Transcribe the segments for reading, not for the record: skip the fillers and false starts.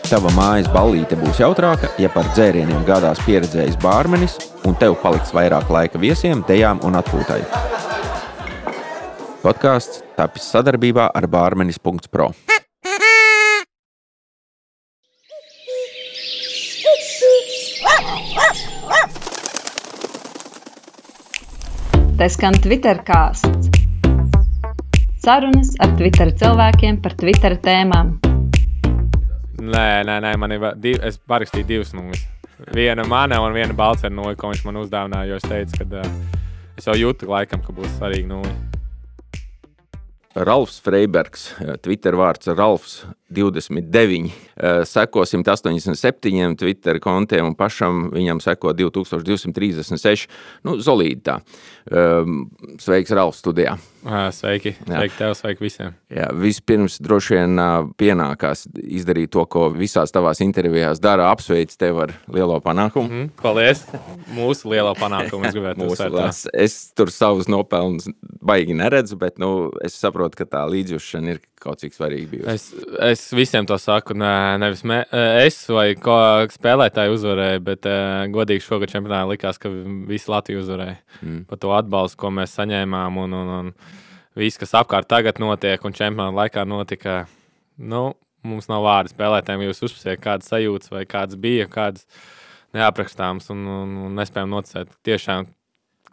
Tava mājas ballīte būs jautrāka, ja par dzērieniem gādās pieredzējis bārmenis un tev paliks vairāk laika viesiem, dejām un atpūtai. Podcasts tapis sadarbībā ar bārmenis.pro. Te skan Twittercāsts. Sarunas ar Twitter cilvēkiem par Twitter tēmām. Nē, man ir es parakstīju divas nulles. Viena mana un viena Balcera nulle, ko viņš man uzdāvināja, jo es teicu, ka es jau jūtu laikam, ka būs svarīgi nulle. Ralfs Freibergs, Twitter vārds Ralfs29, seko 187 Twitter kontiem un pašam viņam seko 2236. Zolīdi tā. Sveiks Ralfs studijā. Sveiki. Sveiki tev, sveiki visiem. Jā, vispirms droši vien pienākās izdarīt to, ko visās tavās intervijās dara, apsveic tev ar lielo panākumu. Paldies. Mūsu lielo panākumu es gribētu uzsvērt. Es tur savus nopelnus baigi neredzu, bet es saprotu, ka tā līdzjūšana ir kaut cik svarīgi bijusi. Es visiem to saku, nevis es vai spēlētāji uzvarēja, bet godīgi šogad čempionātā likās, ka visi Latvija uzvarēja. Par to atbalstu, ko mēs saņēmām un viss, kas apkārt tagad notiek un čempionāta laikā notika, mums nav vārdi spēlētājiem, jūs uzspēsiet kādas sajūtas vai kādas bija, kādas neaprakstāmas un nespējam noticēt tiešām,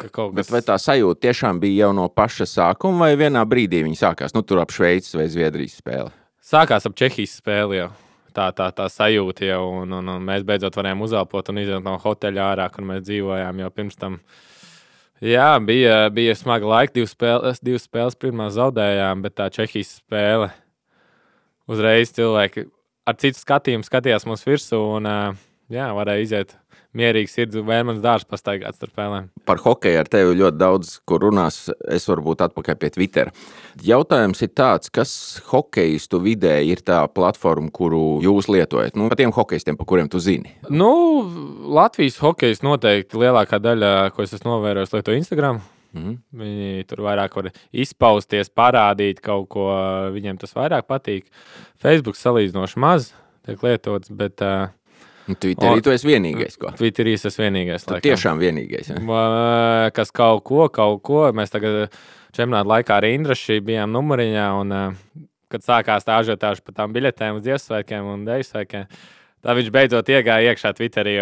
ka kaut kas... Bet vai tā sajūta tiešām bija jau no paša sākuma vai vienā brīdī viņi sākās, tur ap Šveices vai Zviedrijas spēli? Sākās ap Čehijas spēli jau. Tā sajūta jau, un mēs beidzot varējām uzelpot un iziet no hoteļa ārā, kur mēs dzīvojām jau pirms tam. Jā, bija smaga laika, divas spēles pirmā zaudējām, bet tā Čehijas spēle uzreiz cilvēki ar citu skatījumu skatījās mums virsū un varēja iziet mierīgi sirds un Vērmanas dārs pastaigāt starp spēlēm. Par hokeju ar tevi ļoti daudz, kur runās, es varbūt atpakaļ pie Twitter. Jautājums ir tāds, kas hokejistu vidē ir tā platforma, kuru jūs lietojat? Par tiem hokejistiem, par kuriem tu zini. Latvijas hokejs noteikti lielākā daļa, ko es esmu novērojis, lieto Instagram. Viņi tur vairāk var izpausties, parādīt kaut ko, viņiem tas vairāk patīk. Facebook salīdzinoši maz tiek lietots, bet... Twitterī tu esi vienīgais, ko? Twitterī es esmu vienīgais. Tu tiešām vienīgais, ja? Kas kaut ko. Mēs tagad čempionāta laikā ar Indraši bijām numuriņā, un kad sākās tā ažiotāža par tām biļetēm uz Ziemassvētkiem un Deju svētkiem, tā viņš beidzot iegāja iekšā Twitterī.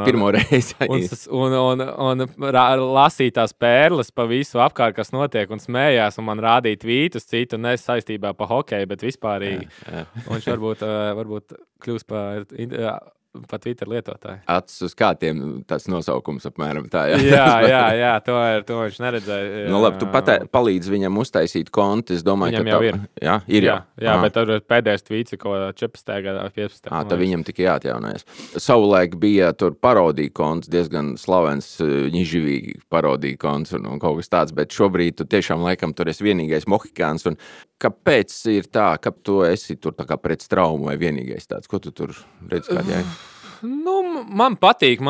Pirmo reizi. Un lasīja tās pērles pa visu apkārt, kas notiek, un smējās, un man rādīja tvītus citu, ne saistībā pa hokeju, bet vispārīgi. Jā. Un viņš varbūt kļūs pa Twitter lietotāju. Acis uz kātiem tas nosaukums apmēram tā, jā, to viņš neredzēja. Labi, tu palīdz viņam uztaisīt kontu, es domāju, viņam jau ir. Ir jau. Jā, bet tur pēdējais tvīts ir ko 14. gadā, 15. Tad viņam tikai jāatjaunojas. Savulaik bija tur parodija konts, diezgan slavens, ņiživīgi parodija konts un kaut kas tāds, bet šobrīd tu tiešām laikam tur esi vienīgais mohikāns. Un kāpēc ir tā, ka tu esi tur tā kā pret traumu vai vienīgais tāds? Ko tu tur redz kādējai? Man patīk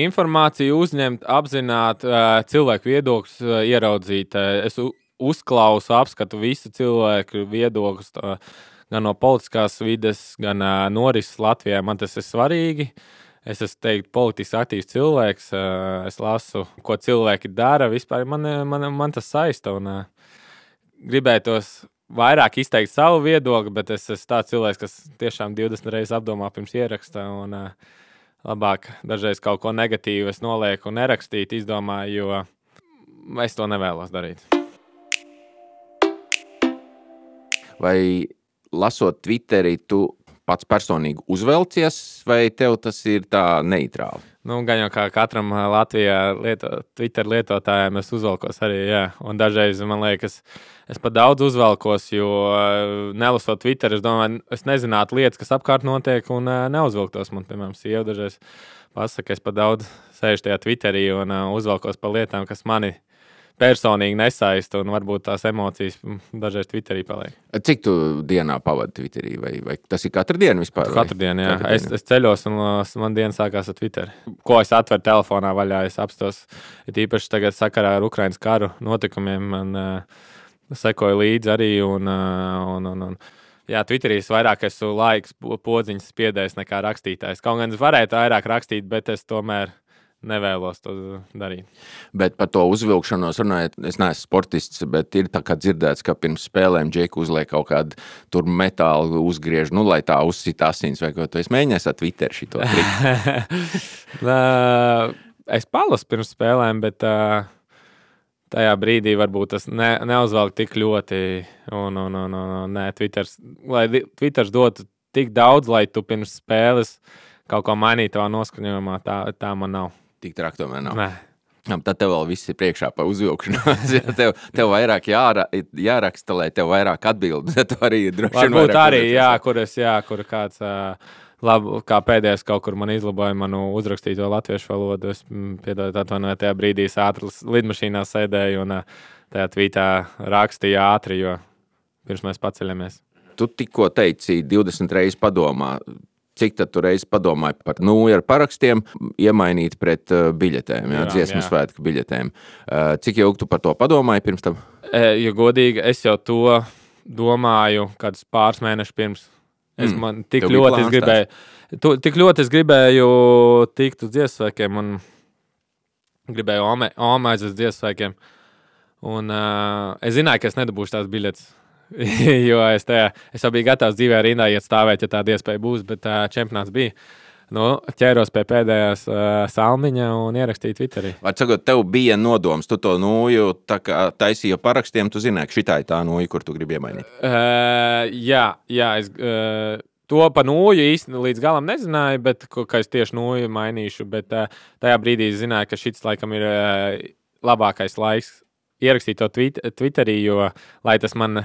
informāciju uzņemt, apzināt, cilvēku viedokļus ieraudzīt. Es uzklausu, apskatu visu cilvēku viedokļus, gan no politiskās vides, gan norises Latvijā. Man tas ir svarīgi. Es esmu teikt politiski aktīvs cilvēks. Es lasu, ko cilvēki dara. Vispār man tas saista un gribētos vairāk izteikt savu viedokli, bet es esmu tāds cilvēks, kas tiešām 20 reizes apdomā pirms ieraksta un labāk dažreiz kaut ko negatīvu es nolieku un nerakstīt, izdomāju, jo es to nevēlos darīt. Vai lasot Twitterī, tu pats personīgi uzvelcies, vai tev tas ir tā neitrāli? Gan jau kā katram Latvijā Twitter lietotājiem es uzvelkos arī, jā. Un dažreiz man liekas, es pat daudz uzvelkos, jo nelasot Twitter, es domāju, es nezinātu lietas, kas apkārt notiek un neuzvelktos. Man, piemēram, sieva dažreiz pasaka, es pat daudz sēžu tajā Twitterī un uzvelkos par lietām, kas mani personīgi nesaista un varbūt tās emocijas dažreiz Twitterī paliek. Cik tu dienā pavadi Twitterī? Vai tas ir katru dienu vispār? Katru dienu, jā. Es ceļos un man diena sākās ar Twitteri. Ko es atveru telefonā vaļā, es apstos. Īpaši tagad sakarā ar Ukrainas karu notikumiem man sekoju līdzi arī un Jā, Twitterī vairāk esmu laiks podziņas spiedējis nekā rakstītājs. Kaut gan es varētu vairāk rakstīt, bet es tomēr nevēlos to darīt. Bet par to uzvilkšanos runājot, es neesmu sportists, bet ir tā kā dzirdēts, ka pirms spēlēm Džeku uzliek kaut kādu tur metālu uzgriež, lai tā uzsit asins vai ko. Tu esi mēģinājis ar Twitter šito triku? Es palasu pirms spēlēm, bet tajā brīdī varbūt tas neuzvelk tik ļoti. Nē, lai Twitters dotu tik daudz, lai tu pirms spēles kaut ko mainītu tavā noskaņojumā, tā man nav. Tik traki tomēr nav. Nē. Tad tev vēl viss ir priekšā pa uzvilkšanos. Tev vairāk jāraksta, lai tev vairāk atbildi. Tu arī droši vien varbūt arī, kur kāds kā pēdējais kaut kur man izlaboja manu uzrakstīto latviešu valodu. Es atvainoju, tajā brīdī es ātri lidmašīnā sēdēju un tajā tvītā rakstīju ātri, jo pirms mēs paceļamies. Tu tikko teici 20 reizes padomā. Cik tad tu reiz padomāji par ar parakstiem iemainīt pret biļetēm, dziesmu svētku biļetēm? Cik ilgi tu par to padomāji pirms tam? Ja godīgi, es jau to domāju kādus pāris mēnešus pirms. Tik ļoti es gribēju tikt uz dziesmu svētkiem un gribēju aiziet uz dziesmu svētkiem. Un es zināju, ka es nedabūšu tās biļetes. Jo es jau biju gatavs dzīvē rindā iet stāvēt, ja tāda iespēja būs, bet čempionāts bija. Ķēros pie pēdējās salmiņa un ierakstīju Twitterī. Var sakot, tev bija nodoms, tu to nūju tā kā taisīja parakstiem, tu zināji, ka šitā ir tā nūja, kur tu gribi iemainīt? Jā, es to pa nūju īsti līdz galam nezināju, bet ka es tieši nūju mainīšu, bet tajā brīdī zināju, ka šits laikam ir labākais laiks ierakstīt to Twitterī, jo lai tas man,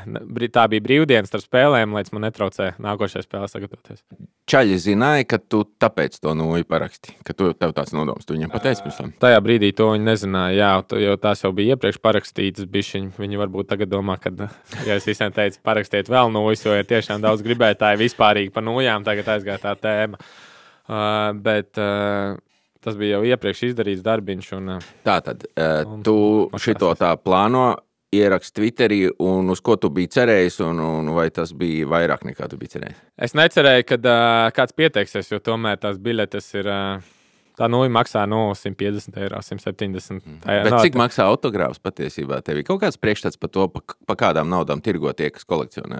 tā bija brīvdienas starp spēlēm, lai tas man netraucē nākošajai spēlē sagatavoties. Čaļi zināja, ka tu tāpēc to nūju paraksti, ka tev tāds nodoms, tu viņam pateici pirms tam? Tajā brīdī to viņi nezināja, jo tās jau bija iepriekš parakstītas bišķiņi. Viņi varbūt tagad domā, ka, ja es visiem teicu parakstiet vēl nūjas, jo ir tiešām daudz gribētāji vispārīgi par nūjām, tagad aizgāja tā tēma. Tas bija jau iepriekš izdarīts darbiņš. Tātad, tu šito tā plāno ierakst Twitterī, un uz ko tu biji cerējis, un vai tas bija vairāk nekā tu biji cerējis? Es necerēju, kad kāds pieteiksies, jo tomēr tās biļetes ir, tā nūja maksā 150 eiro, 170. Bet cik maksā autogrāfs patiesībā? Tev ir kaut kāds priekšstats par to, pa kādām naudām tirgo tie, kas kolekcionē?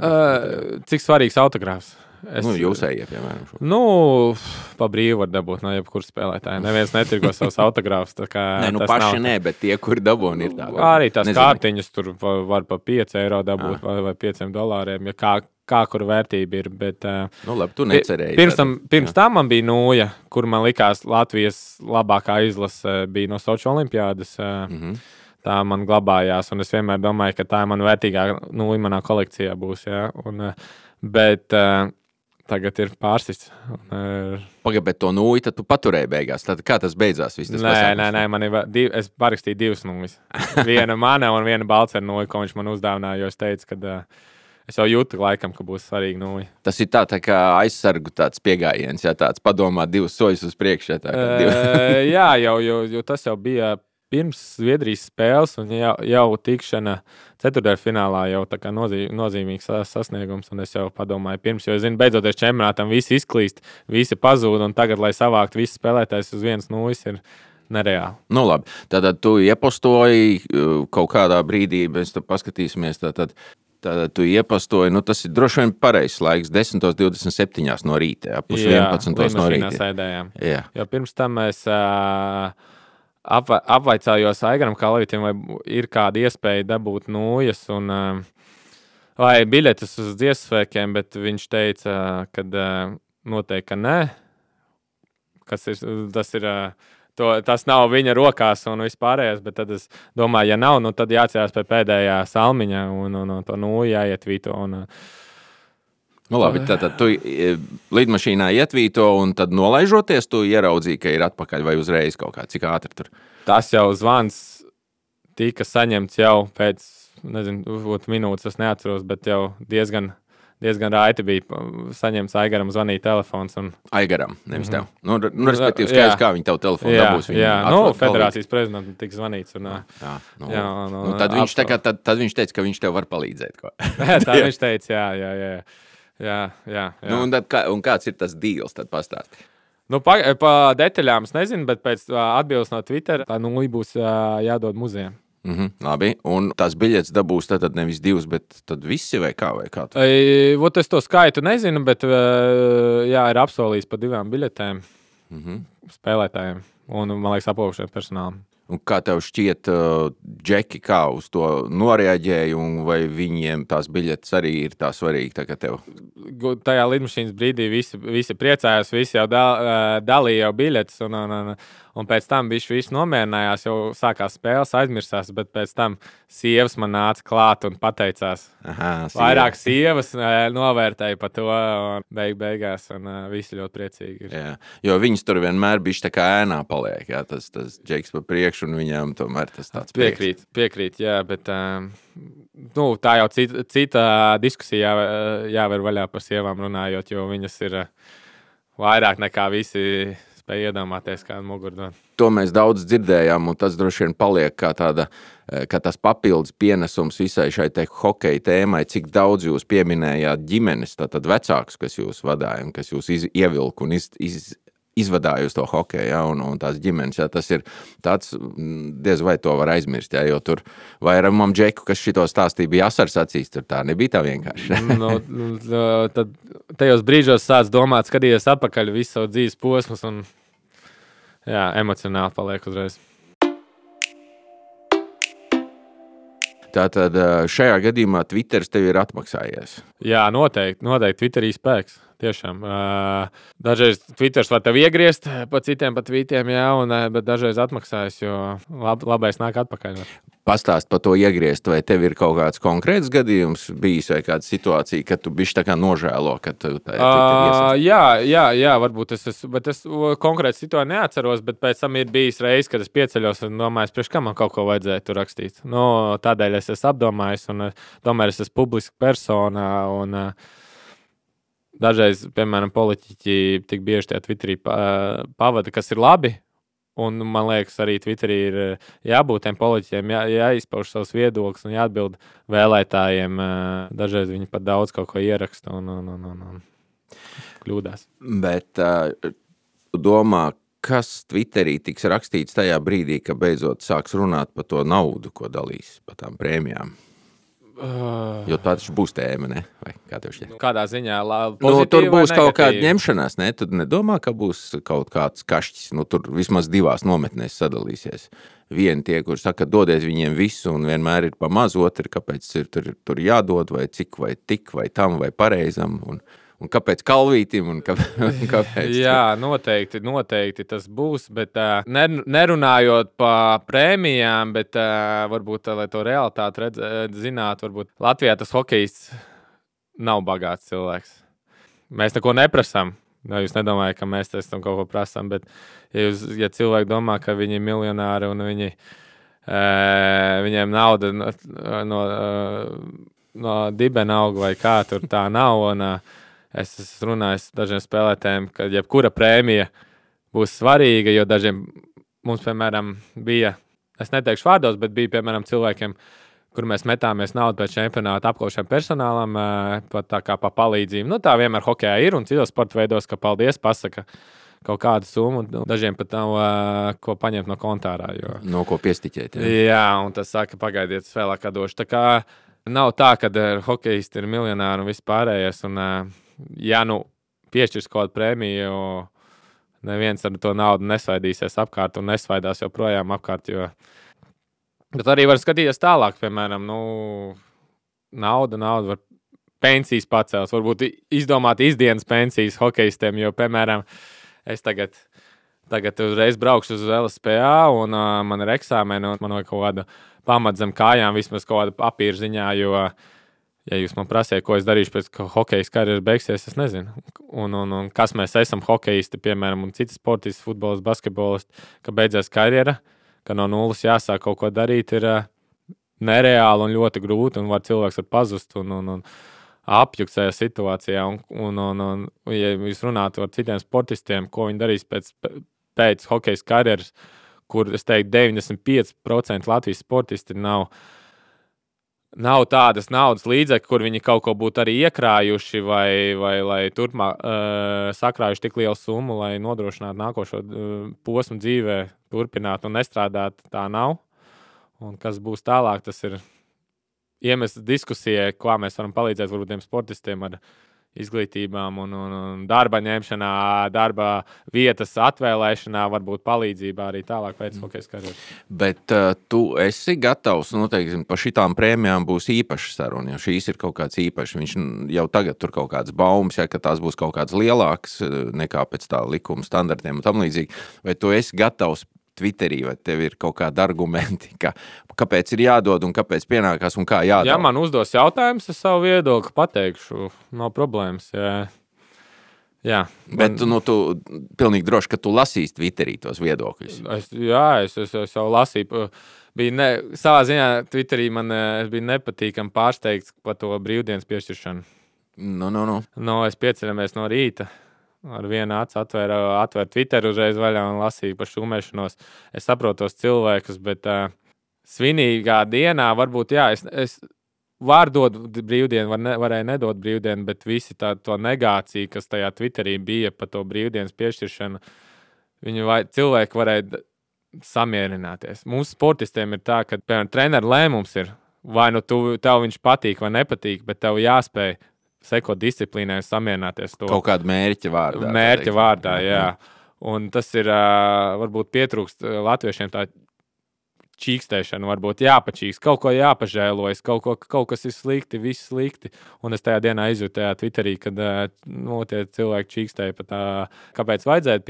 Cik svarīgs autogrāfs? Jūsējie, piemēram. Pa brīvu var dabūt no jebkuras spēlētāja. Neviens netirgo savus autogrāfus. Paši nē, bet tie, kuri dabūni, ir tā. Arī tās kārtiņas tur var pa 5 eiro dabūt vai $5, ja kā kur vērtība ir. Bet, labi, tu necerēji. Pirms tam man bija nūja, kur man likās Latvijas labākā izlase bija no Soču olimpiādas. Tā man glabājās, un es vienmēr domāju, ka tā man vērtīgā nūja manā kolekcijā būs. Ja? Bet tagad ir pārsists. Pagaid, bet to nūju tad tu paturēji beigās. Tad kā tas beidzās? Nē, es parakstīju divas nūjas. Viena mana un viena balcera nūja, ko viņš man uzdāvināja, jo es teicu, ka es jau jūtu laikam, ka būs svarīga nūja. Tas ir tā kā aizsargu tāds piegājiens, ja tāds padomā divus soļus uz priekšu. Jā, jo tas jau bija pirms Zviedrijas spēles un jau tikšana ceturtdaļfinālā jau tā kā nozīmīgs sasniegums, un es jau padomāju pirms, jo es zinu, beidzoties čempionātam visi izklīst, visi pazūd, un tagad, lai savākt visi spēlētājs uz vienas nūjas, ir nereāli. Labi, tātad tu iepostoji kaut kādā brīdī, mēs tad paskatīsimies, tātad tu iepostoji, tas ir droši vien pareizs laiks, 10:27 no rīta, pus 11 no rīta. Sēdējām. Jā. Jo pirms tam mēs apvaicājos Aigaram Kalvītim, vai ir kāda iespēja dabūt nūjas vai biļetes uz dziesmu svētkiem, bet viņš teica, ka noteikti, ka nē. Tas nav viņa rokās un vispārējais, bet tad es domāju, ja nav, tad jāatcerās pie pēdējā salmiņa un to nūju jāietvīto. Labi, tad tu lidmašīnā ietvīto un tad nolaižoties, tu ieraudzīji, ka ir atpakaļ vai uzreiz kaut kā, cik ātri tur? Tas jau zvans tika saņemts jau pēc, minūtes, es neatceros, bet jau diezgan raiti bija saņemts Aigaram zvanīt telefons. Aigaram, nevis tev. Respektīvi skaidrs, kā viņi tev telefonu dabūs. Federācijas prezidentam tika zvanīts. Tad viņš teica, ka viņš tev var palīdzēt. Tā viņš teica, jā. Jā. Nu, un kāds ir tas deals, tad pastāsti? Nu, pa detaļām es nezinu, bet pēc atbildes no Twitter tā nulli būs jādod muzejam. Labi, un tās biļetes dabūs tad nevis 2, bet tad visi vai kā? Vot es to skaitu nezinu, bet ir apsolījis par 2 biļetēm spēlētājiem un, man liekas, apūšiem personālam. Un kā tev šķiet, Džeki, kā uz to noreaģēja, un vai viņiem tās biļetes arī ir tā svarīgi tagad tev? Tajā lidmašīnas brīdī visi priecājās, visi jau dalīja jau biļetes, un pēc tam visi nomierinājās, jau sākās spēles, aizmirsās, bet pēc tam sievas man nāca klāt un pateicās. Vairāk sievas novērtēja par to, un beigās, un visi ļoti priecīgi ir. Jā, jo viņas tur vienmēr bišķi tā kā ēnā paliek, jā, tas Džeks pa priekšu, un viņām tomēr tas tāds prieks. Piekrīt, jā, bet tā jau cita diskusija jāver vaļā par sievām runājot, jo viņas ir vairāk nekā visi spēja iedomāties, kādu mugurdot. To mēs daudz dzirdējām, un tas droši vien paliek kā tas papildus pienesums visai šai hokeja tēmai, cik daudz jūs pieminējāt ģimenes, tātad vecākus, kas jūs vadāja, un kas jūs ievilka un izvadāja uz to hokeju, ja, un tās ģimenes, ja, tas ir tāds, diez vai to var aizmirst, ja, jo tur vairumam Džeku, kas šito stāstīja, bija asars acīs, tur tā nebija tā vienkārši. Tad tajos brīžos sāc domāt, skatīties atpakaļ visu savu dzīves posmus, un emocionāli paliek uzreiz. Tātad šajā gadījumā Twitteris tev ir atmaksājies? Jā, noteikti Twitterī spēks. Tiešām. Dažreiz Twitters var tev iegriezt pa citiem pa tweetiem, bet dažreiz atmaksājas, jo labais nāk atpakaļ. Pastāst par to iegriezt, vai tev ir kaut kāds konkrēts gadījums bijis vai kāda situācija, kad tu bišķi tā kā nožēlo, ka tu Jā, varbūt bet es konkrēti situāciju neatceros, bet pēc tam ir bijis reiz, kad es pieceļos un domāju, priekš kā man kaut ko vajadzēja tur rakstīt. Tādēļ es esmu apdomājis un tomēr es esmu publiska persona un dažreiz, piemēram, politiķi tik bieži tajā Twitterī pavada, kas ir labi. Un man liekas, arī Twitterī ir jābūt tiem politiķiem, jāizpauž savus viedokļus un jāatbild vēlētājiem. Dažreiz viņi pat daudz kaut ko ieraksta un kļūdās. Bet tu domā, kas Twitterī tiks rakstīts tajā brīdī, ka beidzot sāks runāt par to naudu, ko dalīs par tām prēmijām? Jo tā taču būs tēma, ne? Vai kā tev šķiet? Kādā ziņā? Tur būs kaut kāda ņemšanās, ne? Tu nedomā, ka būs kaut kāds kašķis? Tur vismaz 2 nometnēs sadalīsies. Vieni tie, kur saka, dodiet viņiem visu un vienmēr ir pa maz, otri, kāpēc ir tur jādod, vai cik, vai tik, vai tam, vai pareizam, un kāpēc kalvītim, un kāpēc? Jā, noteikti tas būs, bet nerunājot par prēmijām, bet varbūt, lai to realitāti zinātu, varbūt Latvijā tas hokejists nav bagāts cilvēks. Mēs neko neprasām. Jūs nedomājat, ka mēs tam kaut ko prasām, bet ja cilvēki domā, ka viņi ir miljonāri un viņiem nauda no dibena aug vai kā, tur tā nav, un es esmu runājis dažiem spēlētājiem, ka jebkura prēmija būs svarīga, jo dažiem mums, piemēram, bija, es neteikšu vārdos, bet bija, piemēram, cilvēkiem, kur mēs metāmies naudu pēc čempionāta apkošiem personālam, tā kā pa palīdzību. Tā vienmēr hokejā ir un citos sporta veidos, ka paldies, pasaka kaut kādu summu, un dažiem pat nav ko paņemt no kontārā. No ko piestiķēt. Jā, un tas saka, pagaidiet, es vēlāk došu. Tā kā nav tā, ka hokejisti ir miljonāri un viss pārējais, un piešķirs kaut kādu prēmiju, neviens ar to naudu nesvaidīsies apkārt un nesvaidās joprojām apkārt, bet arī var skatīties tālāk, piemēram, nauda var pensijas pacels, varbūt izdomāt izdienas pensijas hokejistiem, jo, piemēram, es tagad uzreiz braukšu uz LSPA un man ir eksāmeni un man vajag kaut kādu pamatu zem kājām, vismaz kaut kādu papīru ziņā, jo ja jūs man prasiet, ko es darīšu pēc hokejas karjeras beigsies, es nezinu. Un kas mēs esam hokejisti, piemēram, un citi sportisti, futbolisti, basketbolisti, ka beidzās karjera, ka no nulles jāsāk kaut ko darīt, ir nereāli un ļoti grūti, un cilvēks var pazust un apjukt šajā situācijā. Un ja jūs runātu ar citiem sportistiem, ko viņi darīs pēc hokejas karjeras, kur, es teiktu, 95% Latvijas sportisti nav tādas naudas līdzekļi, kur viņi kaut ko būtu arī iekrājuši vai lai turpmāk sakrājuši tik lielu summu, lai nodrošinātu nākošo posmu dzīvē, turpināt un nestrādāt, tā nav. Un kas būs tālāk, tas ir iemesls diskusijai, kā mēs varam palīdzēt varbūt tiem sportistiem ar izglītībām un darba ņemšanā, darba vietas atvēlēšanā, varbūt palīdzībā arī tālāk pēc hokejas karjeras. Bet tu esi gatavs, noteikti, par šitām prēmijām būs īpaša saruna, jo šīs ir kaut kāds īpašs. Viņš jau tagad tur kaut kāds baumas, ja, ka tās būs kaut kāds lielāks nekā pēc tā likuma standartiem un tam līdzīgi. Vai tu esi gatavs Twitterī, vai tev ir kaut kādi argumenti, kāpēc ir jādod un kāpēc pienākās un kā jādod? Ja man uzdos jautājums, es savu viedokli pateikšu, nav problēmas. Jā. Bet tu pilnīgi droši, ka tu lasīsi Twitterī tos viedokļus. Es jau lasīju. Savā ziņā Twitterī es biju nepatīkami pārsteigts par to brīvdienas piešķiršanu. Es pieceļamies no rīta. Ar vienu acu atvēru Twitteru uzreiz vaļā un lasīju par šūmēšanos. Es saprotu tos cilvēkus, bet svinīgā dienā varbūt, es varu dot brīvdienu, varēju nedot brīvdienu, bet visi to negāciju, kas tajā Twitterī bija par to brīvdienas piešķiršanu, cilvēki varēja samierināties. Mums sportistiem ir tā, ka, piemēram, treneru lēmums ir, vai tev viņš patīk vai nepatīk, bet tev jāspēj sekot disciplīnai un samierināties to. Kaut kāda mērķa vārdā. Mērķa vārdā, jā. Un tas ir, varbūt pietrūkst latviešiem tā čīkstēšana, varbūt jāpačīkst, kaut ko jāpažēlojas, kaut kas ir slikti, viss slikti. Un es tajā dienā izjūtu tajā Twitterī, kad tie cilvēki čīkstēja par tā, kāpēc vajadzētu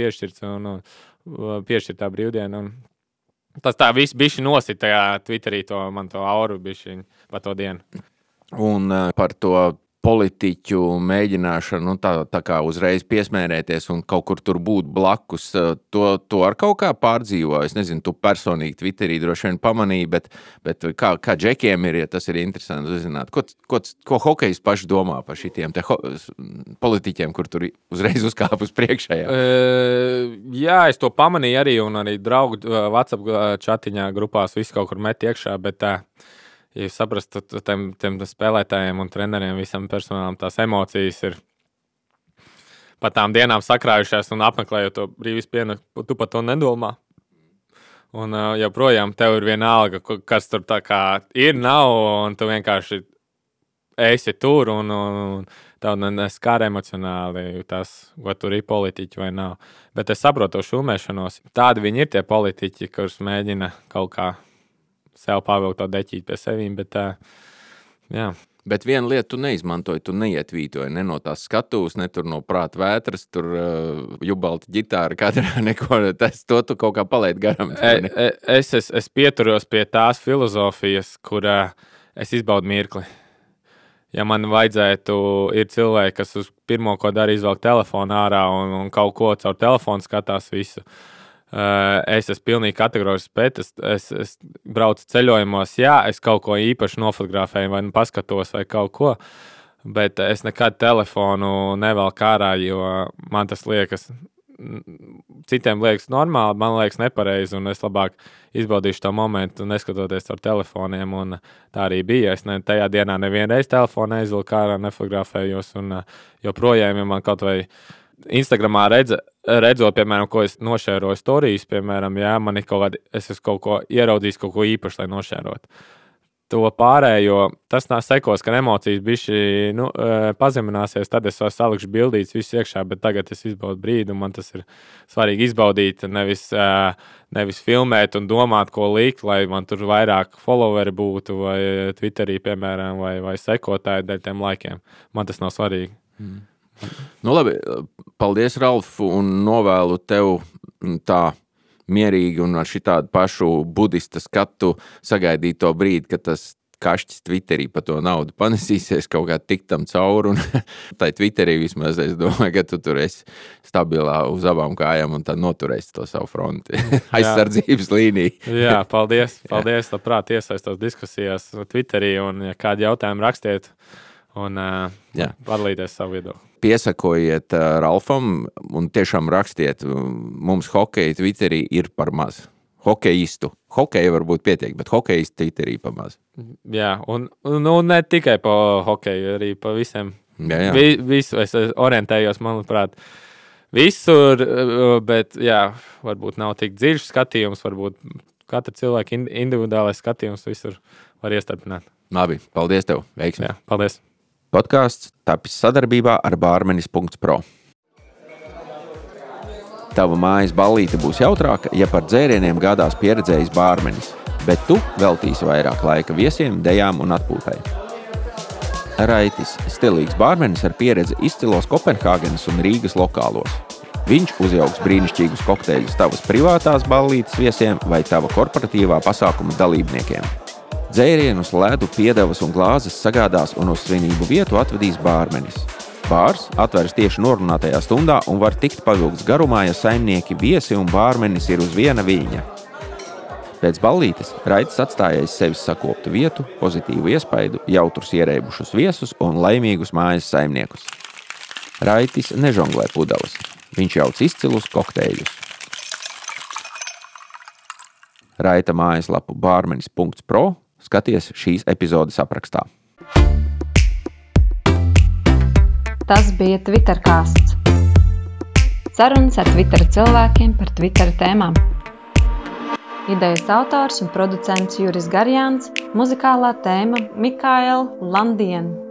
piešķirt tā brīvdienu. Un tas tā viss bišķi nosit tajā Twitterī man to auru bišķiņu par to dienu. Un par to politiķu mēģināšanu, tā kā uzreiz piesmērēties un kaut kur tur būt blakus, to ar kaut kā pārdzīvo. Es nezinu, tu personīgi Twitterī droši vien pamanīji, bet kā džekiem ir, ja tas ir interesanti uzzināt. Ko hokejs paši domā par šitiem politiķiem, kur tur uzreiz uzkāp uz priekšējā? Jā, es to pamanīju arī, un arī draugu WhatsApp čatiņā grupās visu kaut kur met iekšā, bet ja jūs saprastu, tiem spēlētājiem un treneriem, visam personālam tās emocijas ir pa tām dienām sakrājušās un apmeklējot to brīvis pienu, tu par to nedomā. Un joprojām tev ir vienalga, kas tur tā kā ir, nav, un tu vienkārši esi tur, un tev neskar emocionāli tas, vai tur ir politiķi vai nav. Bet es saprotu to šūmēšanos. Tādi viņi ir tie politiķi, kurus mēģina kaut kā sev pavilkt to deķīt pie sevīm, bet jā. Bet vienu lietu tu neizmantoji, tu neietvītoji, ne no tās skatuves, ne tur no prāta vētras, tur jubalta ģitāra, katrā neko, to tu kaut kā palaid garam. Es pieturos pie tās filozofijas, kur es izbaudu mirkli. Ja man vajadzētu, ir cilvēki, kas uz pirmo, ko dara, izvelk telefonu ārā un kaut ko caur telefonu skatās visu. Es esmu pilnīgi kategorisks pēc, es braucu ceļojumos, jā, es kaut ko īpaši nofotografēju vai paskatos vai kaut ko, bet es nekad telefonu nevelku ārā, jo man tas liekas, citiem liekas normāli, man liekas nepareizi, un es labāk izbaudīšu to momentu, neskatoties ar telefoniem, un tā arī bija. Es tajā dienā nevienreiz telefonu neizvilku ārā, nefotografējos, un joprojām, ja man kaut vai Instagramā redzot, piemēram, ko es nošēroju storijas, piemēram, jā, man ir es esmu kaut ko ieraudzījis, kaut ko īpaši, lai nošērot. To pārējo, tas sekos, ka emocijas bišķi pazemināsies, tad es salikšu bildītes visu iekšā, bet tagad es izbaudu brīdi, un man tas ir svarīgi izbaudīt, nevis filmēt un domāt, ko likt, lai man tur vairāk followeri būtu, vai Twitterī, piemēram, vai sekotāji dēļ tiem laikiem. Man tas nav svarīgi. Labi, paldies, Ralf, un novēlu tev tā mierīgi un ar šitādu pašu budista skatu sagaidīt to brīdi, kad tas kašķis Twitterī pa to naudu panesīsies kaut kā tik tam cauri, un tai Twitterī vismaz es domāju, ka tu tur esi stabilā uz abām kājām un tad noturēsi to savu fronti. Aizsardzības līniju. Jā, paldies, labprāt iesaistos diskusijās Twitterī, un ja kādi jautājumi rakstiet, un padalīties savu viedokli. Piesakojiet Ralfam un tiešām rakstiet, mums hokeja Twitterī ir par maz. hokeistu. Hokeja varbūt pietiek, bet hokeistu Twitterī pamaz. Jā, un ne tikai pa hokeju, arī pa visiem. Jā. Visu es orientējos, manuprāt, visur, bet jā, varbūt nav tik dziļš skatījums, varbūt katra cilvēka individuālais skatījums visur var iestarpināt. Labi, paldies tev, veiksmi. Jā, paldies. Podcasts tapis sadarbībā ar Barmenis.pro. Tava mājas ballīte būs jautrāka, ja par dzērieniem gādās pieredzējis bārmenis, bet tu veltīsi vairāk laika viesiem, dejām un atpūtai. Raitis – stilīgs bārmenis ar pieredzi izcilos Kopenhāgenes un Rīgas lokālos. Viņš uzjauks brīnišķīgus kokteļus tavas privātās ballītes viesiem vai tava korporatīvā pasākuma dalībniekiem. Dzērienus, ledu, piedevas un glāzes sagādās un uz svinību vietu atvedīs bārmenis. Bārs atveras tieši norunātajā stundā un var tikt pavilkts garumā, ja saimnieki, viesi un bārmenis ir uz viena viļņa. Pēc ballītes Raitis atstājais sevis sakoptu vietu, pozitīvu iespaidu, jautrus ierēbušus viesus un laimīgus mājas saimniekus. Raitis nežonglē pudeles. Viņš jauc izcilus kokteļus. Raita mājaslapu barmenis.pro skaties šīs epizodes aprakstā. Tas bija Twittercasts. Sarunas ar Twitter cilvēkiem par Twitter tēmām. Idejas autors un producents Juris Garjāns, muzikālā tēma Mikaela Landien.